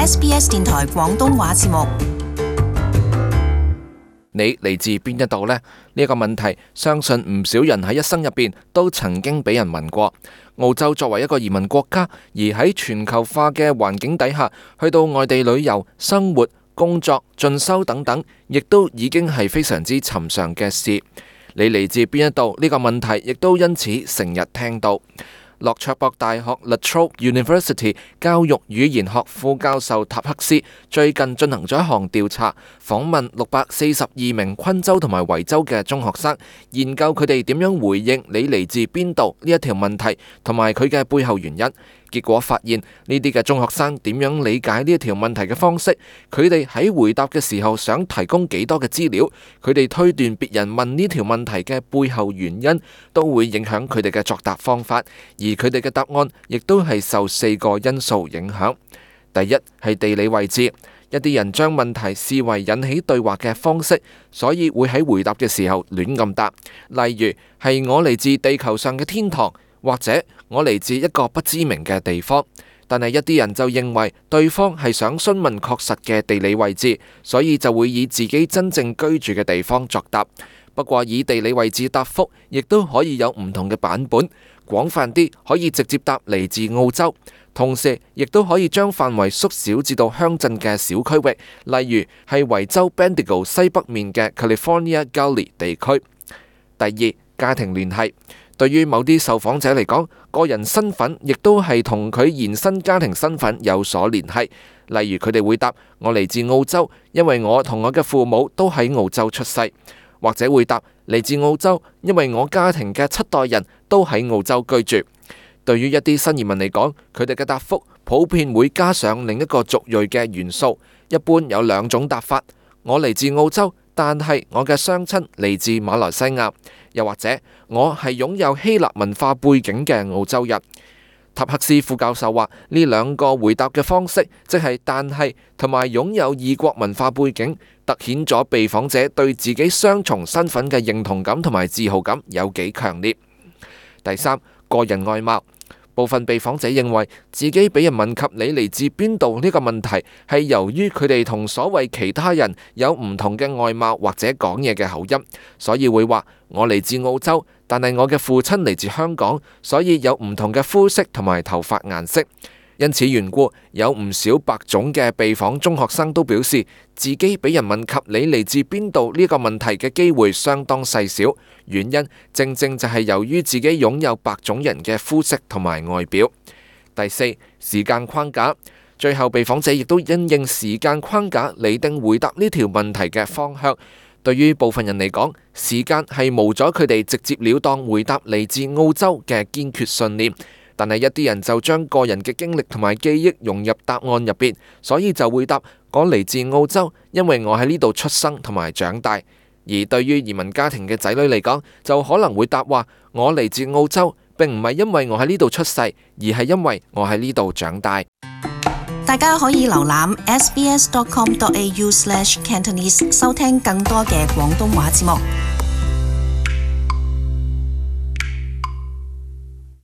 SBS 電台廣東話節目。你嚟自邊一度呢？呢個問題，相信唔少人喺一生入邊都曾經俾人問過。澳洲作為一個移民國家，而喺全球化嘅環境底下，去到外地旅遊、生活、工作、進修等等，亦都已經係非常之尋常嘅事。你嚟自邊一度？呢個問題亦都因此成日聽到。洛卓博大學 La Trobe University 教育語言學副教授塔克斯最近進行咗一項調查，訪問642名昆州同埋維州嘅中學生，研究佢哋點樣回應你嚟自邊度呢一條問題，同埋佢嘅背後原因。結果發現呢啲嘅中學生點樣理解呢一條問題嘅方式，佢哋喺回答嘅時候想提供幾多嘅資料，佢哋推斷別人問呢條問題嘅背後原因，都會影響佢哋嘅作答方法，而佢哋嘅答案亦都係受4個因素影響。第一係地理位置，一啲人將問題視為引起對話嘅方式，所以會喺回答嘅時候亂咁答，例如係我嚟自地球上嘅天堂，或者我嚟自一個不知名嘅地方。但係一啲人就認為對方係想詢問確實嘅地理位置，所以就會以自己真正居住嘅地方作答。不過以地理位置答覆亦都可以有唔同嘅版本，廣泛啲可以直接答嚟自澳洲，同時亦都可以將範圍縮小至到鄉鎮嘅小區域，例如係維州 Bendigo 西北面嘅 California Gully 地區。第二，家庭聯繫。對於某啲受訪者嚟講，個人身份亦都係同佢延伸家庭身份有所聯繫。例如佢哋會答我嚟自澳洲，因為我同我嘅父母都喺澳洲出世，或者會答嚟自澳洲，因為我家庭嘅7代人都喺澳洲居住。對於一啲新移民嚟講，佢哋嘅答覆普遍會加上另一個族裔嘅元素，一般有2種答法：我嚟自澳洲，但係我嘅雙親嚟自馬來西亞，又或者我係擁有希臘文化背景嘅澳洲人。塔克斯副教授話，呢2個回答嘅方式，即係但係同埋擁有異國文化背景，凸顯咗被訪者對自己雙重身份嘅認同感同埋自豪感有幾強烈。第三，個人外貌。部分被訪者認為自己俾人問及你嚟自邊度呢個問題，係由於佢哋同所謂其他人有唔同嘅外貌或者講嘢嘅口音，所以會話我嚟自澳洲，但係我嘅父親嚟自香港，所以有唔同嘅膚色同埋頭髮顏色。因此緣故，有唔少白種嘅被訪中學生都表示，自己俾人問及你嚟自邊度呢個問題嘅機會相當細小，原因正正就係由於自己擁有白種人嘅膚色同埋外表。第四，時間框架。最後被訪者亦都因應時間框架釐定回答呢條問題嘅方向。對於部分人嚟講，時間係無阻佢哋直接了當回答嚟自澳洲嘅堅決信念。但係一啲人就將個人嘅經歷同埋記憶融入答案入邊，所以就會答我嚟自澳洲，因為我喺呢度出生同埋長大。而對於移民家庭嘅仔女嚟講，就可能會答話我嚟自澳洲，並唔係因為我喺呢度出世，而係因為我喺呢度長大。大家可以瀏覽 sbs.com.au/Cantonese 收聽更多嘅廣東話節目。